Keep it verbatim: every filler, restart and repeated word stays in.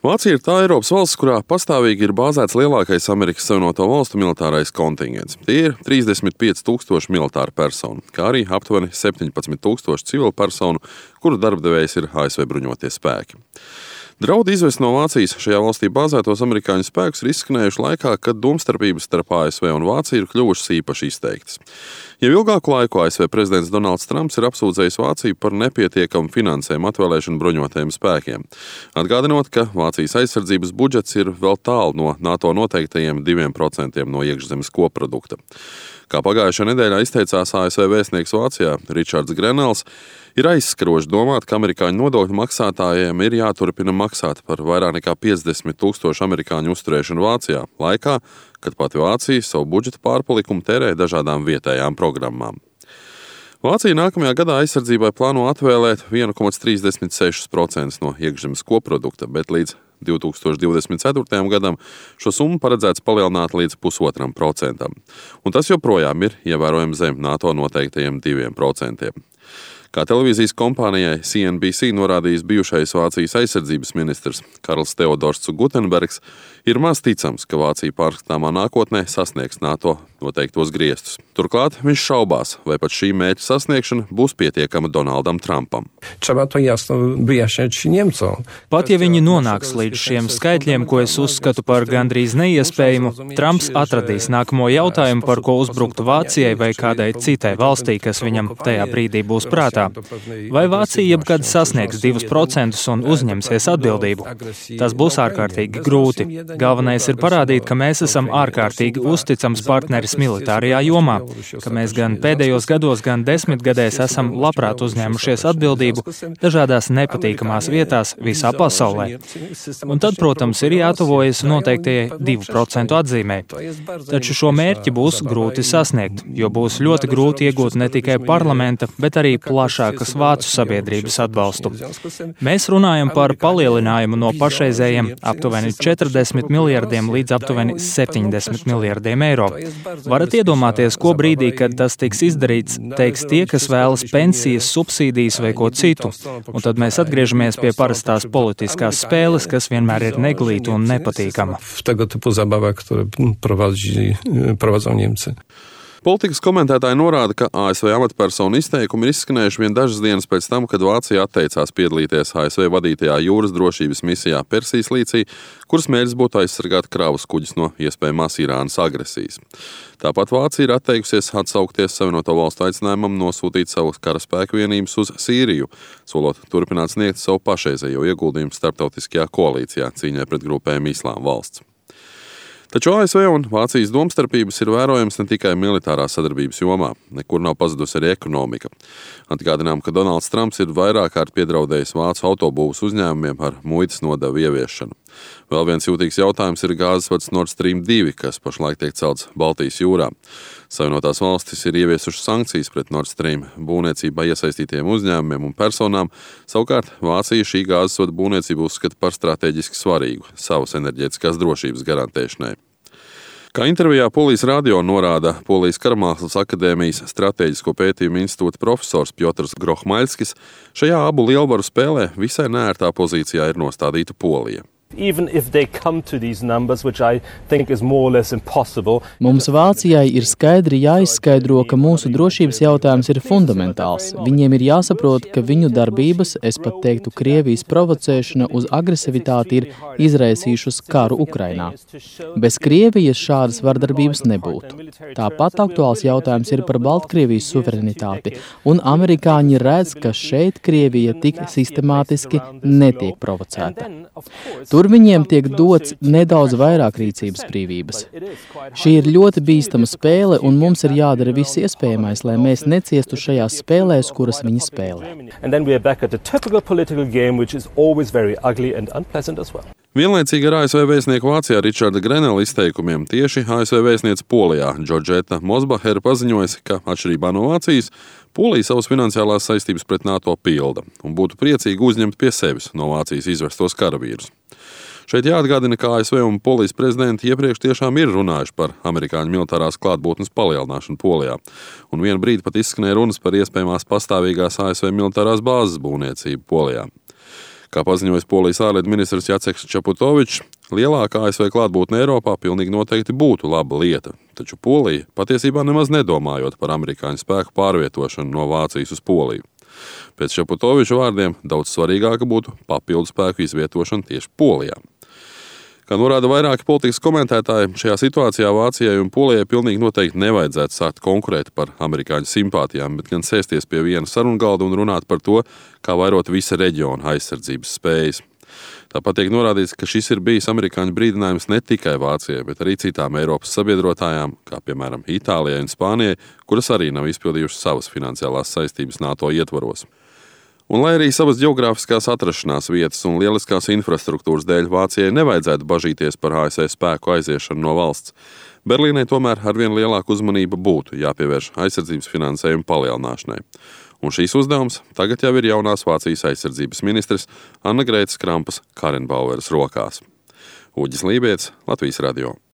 Vācija ir tā Eiropas valsts, kurā pastāvīgi ir bāzēts lielākais Amerikas Savienoto Valstu militārais kontingents. Tie ir trīsdesmit pieci tūkstoši militāru personu, kā arī aptuveni septiņpadsmit tūkstoši civilu personu, kuru darbdevējs ir A S V bruņotie spēki. Draudi izvest no Vācijas šajā valstī bāzētos amerikāņu spēkus ir izskanējuši laikā, kad domstarpības starp A S V un Vāciju ir kļuvušas īpaši izteiktas. Jau ilgāku laiku A S V prezidents Donalds Trumps ir apsūdzējis Vāciju par nepietiekamu finansējumu atvēlēšanu bruņotajiem spēkiem, atgādinot, ka Vācijas aizsardzības budžets ir vēl tālu no NATO noteiktajiem diviem procentiem no iekšzemes koprodukta. Kā pagājušajā nedēļā izteicās A S V vēstnieks Vācijā Ričards Grenels, ir aizskaroši domāt, ka amerikāņu nodokļu maksātājiem ir jāturpina maksāt par vairāk nekā piecdesmit tūkstošu amerikāņu uzturēšanu Vācijā, laikā, kad pati Vācija savu budžeta pārpalikumu tērē dažādām vietējām programmām. Vācija nākamajā gadā aizsardzībai plāno atvēlēt viens komats trīsdesmit seši procenti no iekšzemes koprodukta, bet līdz divi tūkstoši divdesmit ceturtajam gadam šo summu paredzēts palielināt līdz pusotram procentam, un tas joprojām ir ievērojami zem NATO noteiktajiem diviem procentiem. Kā televīzijas kompānijai C N B C norādījis bijušais Vācijas aizsardzības ministrs Karls Teodors Gutenbergs, ir maz ticams, ka Vācija pārskatāmā nākotnē sasniegs NATO noteiktos griestus. Turklāt viņš šaubās, vai pat šī mērķa sasniegšana būs pietiekama Donaldam Trumpam. Pat ja viņi nonāks līdz šiem skaitļiem, ko es uzskatu par gandrīz neiespējamu, Trumps atradīs nākamo jautājumu, par ko uzbruktu Vācijai vai kādai citai valstī, kas viņam tajā brīdī būs prātā. Vai Vācija jebkad sasniegs divus procentus un uzņemsies atbildību? Tas būs ārkārtīgi grūti. Galvenais ir parādīt, ka mēs esam ārkārtīgi uzticams partneris militārajā jomā, ka mēs gan pēdējos gados, gan desmitgadēs esam labprāt uzņēmušies atbildību dažādās nepatīkamās vietās visā pasaulē. Un tad, protams, ir jātuvojas noteiktajai divu procentu atzīmei. Taču šo mērķi būs grūti sasniegt, jo būs ļoti grūti iegūt ne tikai parlamenta, bet arī plašākas vācu sabiedrības atbalstu. Mēs runājam par palielinājumu no pašreizējiem aptuveni četrdesmit miljardiem līdz aptuveni septiņdesmit miljardiem eiro. Varat iedomāties, ko brīdī, kad tas tiks izdarīts, teiks tie, kas vēlas pensijas, subsīdijas vai ko citu. Un tad mēs atgriežamies pie parastās politiskās spēles, kas vienmēr ir neglīta un nepatīkama. Politikas komentētāji norāda, ka A S V amatpersonu izteikumi ir izskanējuši vien dažas dienas pēc tam, kad Vācija atteicās piedalīties A S V vadītajā jūras drošības misijā Persijas līcī, kuras mērķis būtu aizsargāt kravas kuģus no iespējamās Irānas agresijas. Tāpat Vācija ir atteikusies atsaukties Savienoto Valstu aicinājumam nosūtīt savus karaspēku vienības uz Sīriju, solot turpināt sniegt savu pašreizējo ieguldījumu starptautiskajā koalīcijā cīņai pret grupējumu Islāma valsts. Taču A S V un Vācijas domstarpības ir vērojams ne tikai militārā sadarbības jomā, nekur nav pazudusi arī ekonomika. Atgādinām, ka Donalds Trumps ir vairāk kārt piedraudējis vācu autobūvas uzņēmumiem ar muitas nodevu ieviešanu. Vēl viens jūtīgs jautājums ir gāzes vads Nord Stream divi, kas pašlaik tiek celts Baltijas jūrā. Savienotās valstis ir ieviesušas sankcijas pret Nord Stream būvniecībā iesaistītiem uzņēmumiem un personām, savukārt Vācija šī gāzes vada būvniecību uzskata par stratēģiski svarīgu savas enerģētiskās drošības garantēšanai. Kā intervijā Polijas radio norāda Polijas Karamākslas akadēmijas stratēģisko pētījumu institūta profesors Piotrs Grohmaļskis, šajā abu lielvaru spēlē visai neērtā pozīcijā ir nostādīta Polija. Numbers, Mums Vācijai ir skaidri jāizskaidro, ka mūsu drošības jautājums ir fundamentāls. Viņiem ir jāsaprot, ka viņu darbības, es pat teiktu, Krievijas provocēšana uz agresivitāti ir izraisījušas karu Ukrainā. Bez Krievijas šādas vardarbības nebūtu. Tāpat aktuāls jautājums ir par Baltkrievijas suverenitāti, un amerikāņi redz, ka šeit Krievija tik sistemātiski netiek provocēta. Tur viņiem tiek dots nedaudz vairāk rīcības brīvības. Šī ir ļoti bīstama spēle, un mums ir jādara viss iespējamais, lai mēs neciestu šajās spēlēs, kuras viņi spēlē. Vienlaicīgi ar A S V vēstnieku Vācijā Ričarda Grenela izteikumiem tieši A S V vēstniece Polijā Džordžeta Mosbahera paziņojusi, ka atšķirībā no Vācijas, Polija savas finansiālās saistības pret NATO pilda un būtu priecīgi uzņemt pie sevis no Vācijas izvestos karavīrus. Šeit jāatgādina, ka A S V un Polijas prezidenti iepriekš tiešām ir runājuši par amerikāņu militārās klātbūtnes palielināšanu Polijā, un vienu brīdi pat izskanēja runas par iespējamās pastāvīgās A S V militārās bāzes būvniecību Polijā. Kā paziņojas Polijas ārlietu ministrs Jaceks Čaputovičs, lielākā A S V klātbūtne Eiropā pilnīgi noteikti būtu laba lieta, taču Polija patiesībā nemaz nedomājot par amerikāņu spēku pārvietošanu no Vācijas uz Poliju. Pēc Čaputoviča vārdiem daudz svarīgāka būtu papildu spēku izvietošana tieši Polijā. Kā norāda vairāki politikas komentētāji, šajā situācijā Vācijai un Polijai pilnīgi noteikti nevajadzētu sākt konkurēt par amerikāņu simpātijām, bet gan sēsties pie viena sarungalda un runāt par to, kā vairot visa reģiona aizsardzības spējas. Tāpat tiek norādīts, ka šis ir bijis amerikāņu brīdinājums ne tikai Vācijai, bet arī citām Eiropas sabiedrotājām, kā piemēram Itālijai un Spānijai, kuras arī nav izpildījušas savas finansiālās saistības NATO ietvaros. Un lai arī savas ģeogrāfiskās atrašanās vietas un lieliskās infrastruktūras dēļ Vācijai nevajadzētu bažīties par A S V spēku aiziešanu no valsts, Berlīnai tomēr arvien lielāka uzmanība būtu jāpievērš aizsardzības finansējuma palielināšanai. Un šīs uzdevums tagad jau ir jaunās Vācijas aizsardzības ministres Annegretes Krampas-Karrenbaueras rokās. Uģis Lībietis, Latvijas radio.